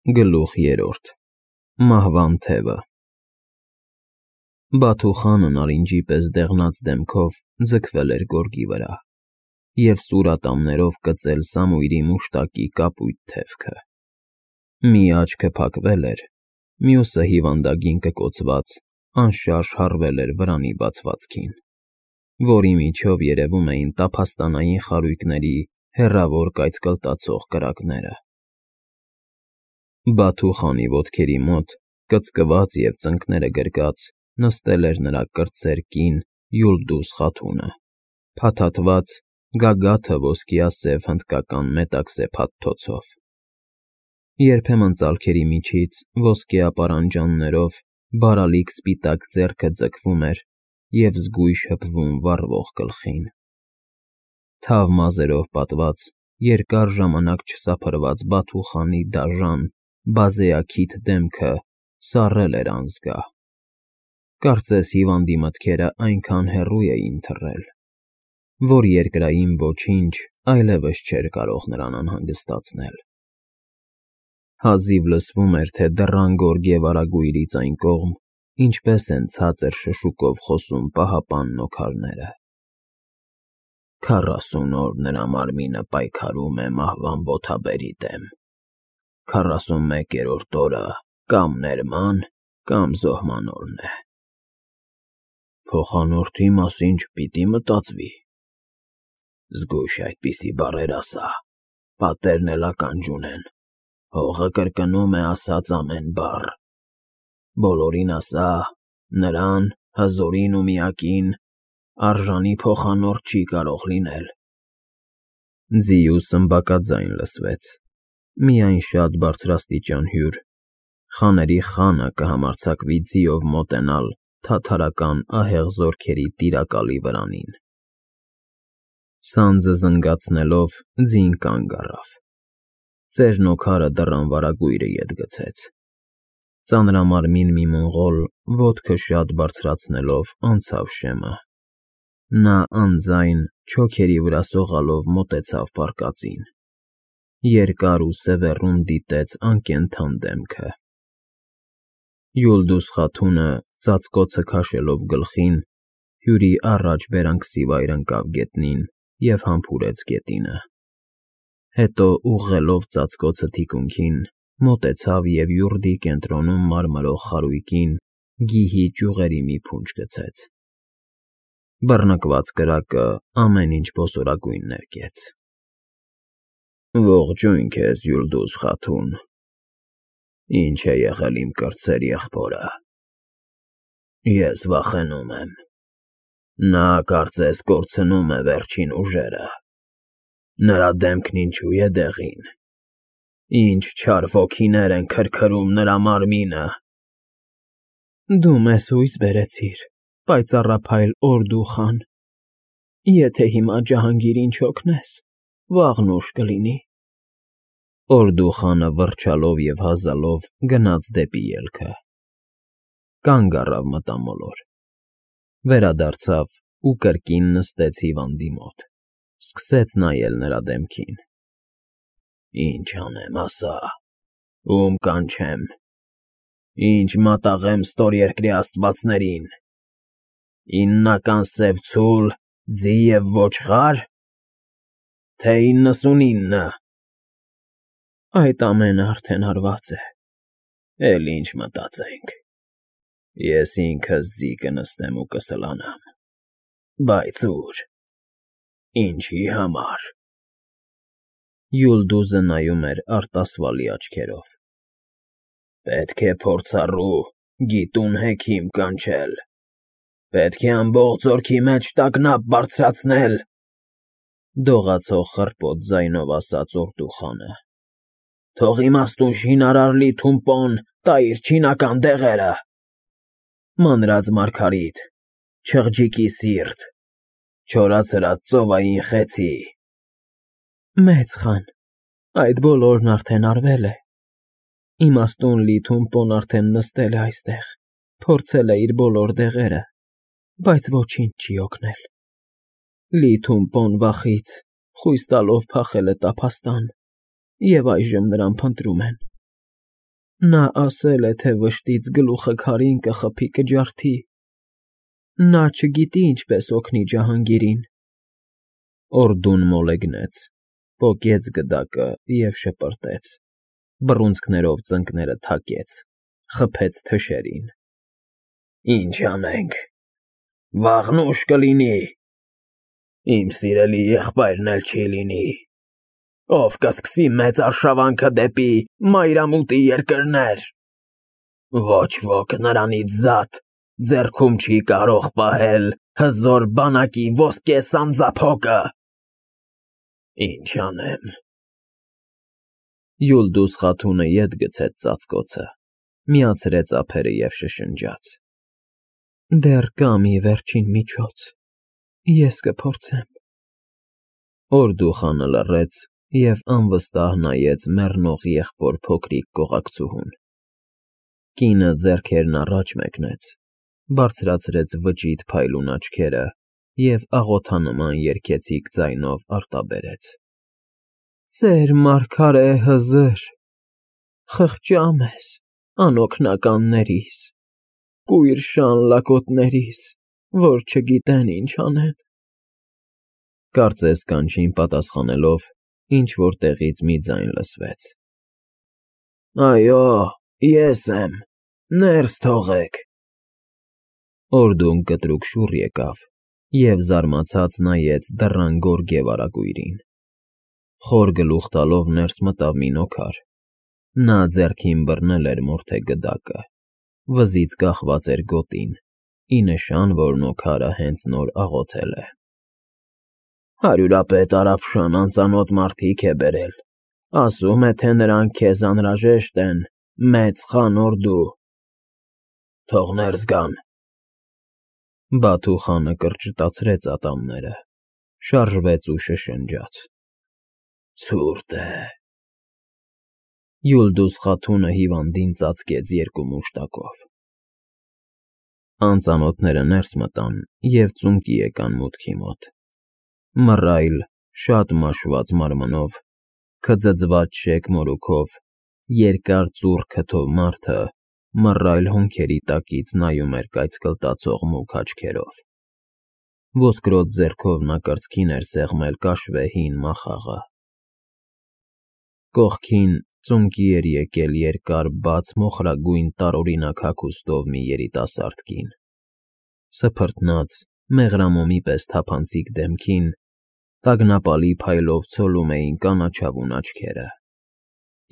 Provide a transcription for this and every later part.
Գլուխ 3 Մահվան թևը Բաթու խանը նարինջի պես դեղնած դեմքով ձգվել էր գորգի վրա և սուր ատամներով կծել Սամույրի մուշտակի կապույտ թևքը։ Մի աչքը փակվել էր, մյուսը հիվանդագին կկոցված, անշարժ հառվել էր վրանի բացվածքին, որի միջով երևում էին տափաստանային խարույկների հեռավոր կայծկլտացող կրակները։ Բաթու խանի ոտքերի մոտ, կծկված և ծնկները գրկած, նստել էր նրա կրտսեր կին Յուլդուզ Խաթունը, փաթաթված, գագաթը ոսկիասև հնդկական մետաքսե փաթթոցով։ Երբեմն ծալքերի միջից ոսկյա պարանջաններով բարալիկ սպիտակ ձեռքը ձգվում էր և զգույշ հպվում վառվող գլխին։ Թավ մազերով պատված, երկար ժամանակ չսափրված Բաթու խանի դաժան, բազեաքիթ դեմքը սառել էր անզգա։ Կարծես հիվանդի մտքերը այնքան հեռու էին թռել, որ երկրային ոչինչ այլևս չէր կարող նրան անհանգստացնել։ Հազիվ լսվում էր, թե դռան գորգե վարագույրից այն կողմ ինչպես են ցածր շշուկով խոսում պահապան նոքարները։ 40 օր նրա մարմինը պայքարում է մահվան բոթաբերի դեմ, 41-րդ օրը կամ ներման, կամ զոհման օրն է։ Փոխանորդի մասին չպիտի մտածվի։ Զգույշ այդպիսի բառեր ասա, պատերն էլ ականջ ունեն, հողը կրկնում է ասած ամեն բառ։ Բոլորին ասա, նրան, հզորին ու միակին, արժանի փոխանորդ չի կարող լինել։ Ձիու սմբակաձայն լսվեց, միայն շատ բարձրաստիճան հյուր, խաների խանը կհամարձակվի ձիով մոտենալ թաթարական ահեղ զորքերի տիրակալի վրանին։ Սանձը զնգացնելով ձին կանգ առավ։ Ծերնոքարը դռան վարագույրը ետ գցեց։ Ծանրամարմին մի մոնղոլ ոտքը շատ բարձրացնելով անցավ շեմը։ Նա անձայն չոքերի վրա սողալով մոտեցավ պարկածին։ Երկար ու սևեռուն դիտեց անկենդան դեմքը։ Յուլդուզ Խաթունը ծածկոցը քաշելով գլխին, հյուրի առաջ բերանքսիվայր ընկավ գետնին և համբուրեց գետինը։ Հետո ուղղելով ծածկոցը թիկունքին, մոտեցավ և յուրդի կենտրոնում մարմրող խարույկին գիհի ճյուղերի մի փունջ գցեց։ Բռնկված կրակը ամեն ինչ բոսորագույն ներկեց։ Ողջույն քեզ, Յուլդուզ Խաթուն, ինչ է եղել իմ կրտսեր եղբորը։ Ես վախենում եմ։ Նա կարծես կորցնում է վերջին ուժերը։ Նրա դեմքն ինչու է դեղին։ Ինչ չար ոգիներ են քրքրում նրա մարմինը։ Դու մեզ հույս բերեցիր, պայծառափայլ Օրդու խան։ Եթե հիմա Ջահանգիրին չօգնես, վաղն ուշ կլինի։ Օրդու խանը վռչալով և հազալով գնաց դեպի ելքը։ Կանգ առավ մտամոլոր։ Վերադարձավ ու կրկին նստեց հիվանդի մոտ, սկսեց նայել նրա դեմքին։ Ինչ անեմ, ասա, ում կանչեմ, ինչ մատաղեմ ստորերկրի աստվածներին, 9-ական սև ցուլ, ձի և ոչխա՞ր, թե 99։ Այդ ամենը արդեն արված է, էլ ինչ մտածենք։ Ես ինքս ձի կնստեմ ու կսլանամ, բայց ուր, ինչի համար։ Յուլդուզը նայում էր արտասվալի աչքերով։ Պետք է փորձառու, գիտուն հեքիմ կանչել, պետք է ամբողջ զորքի մեջ տագնապ բարձրացնել, դողացող խռպոտ ձայնով ասաց Օրդու խանը։ Թող իմաստուն շինարար Լի Թումպոն տա իր չինական դեղերը։ Մանրած մարգարիտ, չղջիկի սիրտ, չորացրած ծովային խեցի։ Մեծ խան, այդ բոլորն արդեն արվել է։ Իմաստուն Լի Թումպոն արդեն նստել է այստեղ, փորձել է իր բոլոր դեղերը, բայց ոչինչ չի օգնել։ Լի Թումպոն վախից խույս տալով փախել է տափաստան, և այժմ նրան փնտրում են։ Նա ասել է, թե վշտից գլուխը քարին կխփի, կջարդի։ Նա չգիտի ինչպես օգնի Ջահանգիրին։ Օրդուն մոլեգնեց, պոկեց գդակը և շպրտեց, բռունցքներով ծնկները թակեց, խփեց թշերին։ Ինչ անենք, վաղն ուշ կլինի, իմ սիրելի եղբայրն էլ չի լինի, ով կսկսի մեծ արշավանքը դեպի մայրամուտի երկրներ, ոչ ոք նրանից զատ ձեռքում չի կարող պահել հզոր բանակի ոսկե սանձափոկը, ինչ անեմ։ Յուլդուս Խաթունը ետ գցեց ծածկոցը, միացրեց ափերը և շշնջաց. Դեռ կա մի վերջին միջոց, ես կփորձեմ։ Օրդուխանը լռեց և անվստահ նայեց մեռնող եղբոր փոքրիկ կողակցուհուն։ Կինը ձեռքերն առաջ մեկնեց, բարձրացրեց վճիտ փայլուն աչքերը և աղոթանման երգեցիկ ձայնով արտաբերեց. Ծեր մարգարե հզր, խղճա մեզ, անօգնականներիս, կույր շան լակոտներիս, որ չգիտեն ինչ անեն։ Կարծես կանչին պատասխանելով, ինչ-որ տեղից մի ձայն լսվեց. Այո, ես եմ, ներս թողեք։ Օրդուն կտրուկ շուռ եկավ և զարմացած նայեց դռան գորգե վարագույրին։ Խոր գլուխ տալով ներս մտավ մի նոքար։ Նա ձեռքին բռնել էր մորթե գդակը, վզից կախված էր գոտին, ի նշան, որ նոքարը հենց նոր աղոթել է։ Հարյուրապետ Արաբշան անծանոթ մարդիկ է բերել, ասում է, թե նրանք քեզ անհրաժեշտ են, մեծ խան Օրդու, թող ներս գան։ Բաթու խանը կրճտացրեց ատամները, շարժվեց ու շշնջաց. Ցուրտ է։ Յուլդուս Խաթունը հիվանդին ծածկեց երկու մուշտակով։ Անծանոթները ներս մտան և ծունկի եկան մուտքի մոտ։ Մռայլ, շատ մաշված մարմնով, քծծված շեկ մորուքով, երկար ծուռ քթով մարդը մռայլ հոնքերի տակից նայում էր կայծկլտացող մուգ աչքերով։ Ոսկրոտ ձեռքով նա կրծքին էր սեղմել կաշվե հին մախաղը։ Կողքին ծունկի էր եկել երկար բաց մոխրագույն տարօրինակ հագուստով մի երիտասարդ կին։ Սփռտնած, մեղրամոմի պես թափանցիկ դեմքին տագնապալի փայլով ցոլում էին կանաչավուն աչքերը։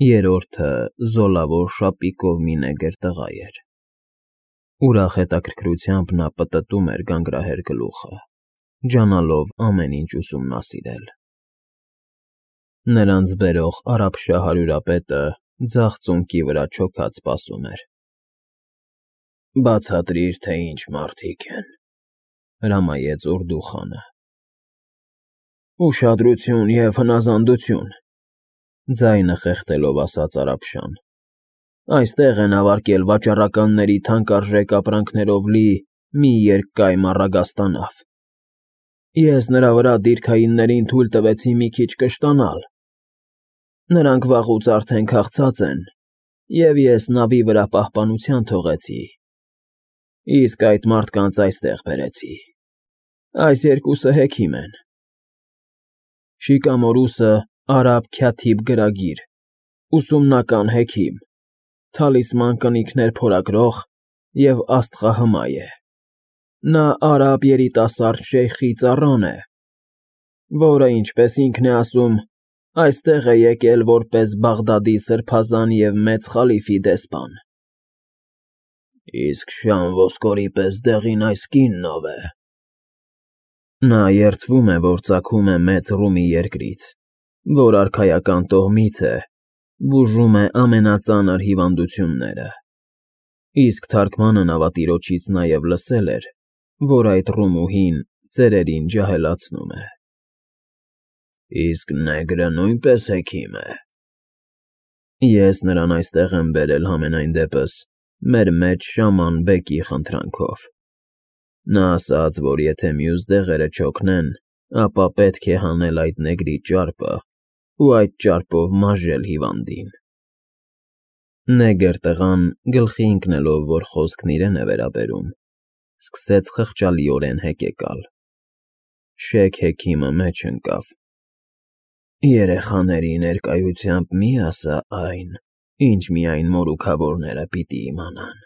Երրորդը զոլավոր շապիկով մի նեգր տղա էր։ Ուրախ հետաքրքրությամբ նա պտտում էր գանգրահեր գլուխը, ջանալով ամեն ինչ ուսումնասիրել։ Նրանց բերող արաբշա հարյուրապետը ձախ ծունկի վրա չոքած սպասում էր։ Բացատրիր, թե ինչ մարդիկ են, հրամայեց Օրդու խանը։ Ուշադրություն և հնազանդություն, ձայնը խեղդելով ասաց Արաբշան։ Այստեղ են հավաքել վաճառականների թանկարժեք ապրանքներով լի մի երկկայմ առագաստանավ։ Ես նրա վրա դիրքայիններին թույլ տվեցի մի քիչ կշտանալ։ Նրանք վաղուց արդեն քաղցած են, և ես նավի վրա պահպանության թողեցի, իսկ այդ մարդկանց այստեղ բերեցի։ Այս երկուսը հեքիմ են։ Շիկամորուսը արաբ Քաթիբ գրագիր, ուսումնական հեքիմ, թալիսման կնիքներ փորագրող և աստղահմայ է։ Նա արաբ երիտասարդ շեյխի ծառան է, որը, ինչպես ինքն է ասում, այստեղ է եկել որպես Բաղդադի սրբազան և մեծ խալիֆի դեսպան։ Իսկ շան ոսկորի պես դեղին այս կինն ով է։ Նա երդվում է, որ ծագում է մեծ Ռումի երկրից, որ արքայական տոհմից է, բուժում է ամենածանր հիվանդությունները։ Իսկ թարգմանը նավատիրոջից նաև լսել էր, որ այդ Ռումուհին ծերերին ջահելացնում է։ Իսկ նեգրը նույնպես հեքիմ է։ Ես նրան այստեղ եմ բերել համենայն դեպս մեր մեջ շաման բեկի խնդրանքով։ Նա ասաց, որ եթե մյուս դեղերը չօգնեն, ապա պետք է հանել այդ նեգրի ճարպը ու այդ ճարպով մազել հիվանդին։ Նեգր տղան, գլխի ընկնելով, որ խոսքն իրեն է վերաբերում, սկսեց խղճալիորեն հեկեկալ։ Շեյք Հեքիմը մեջ ընկավ. Երեխաների ներկայությամբ մի ասա այն, ինչ միայն մորուքավորները պիտի իմանան։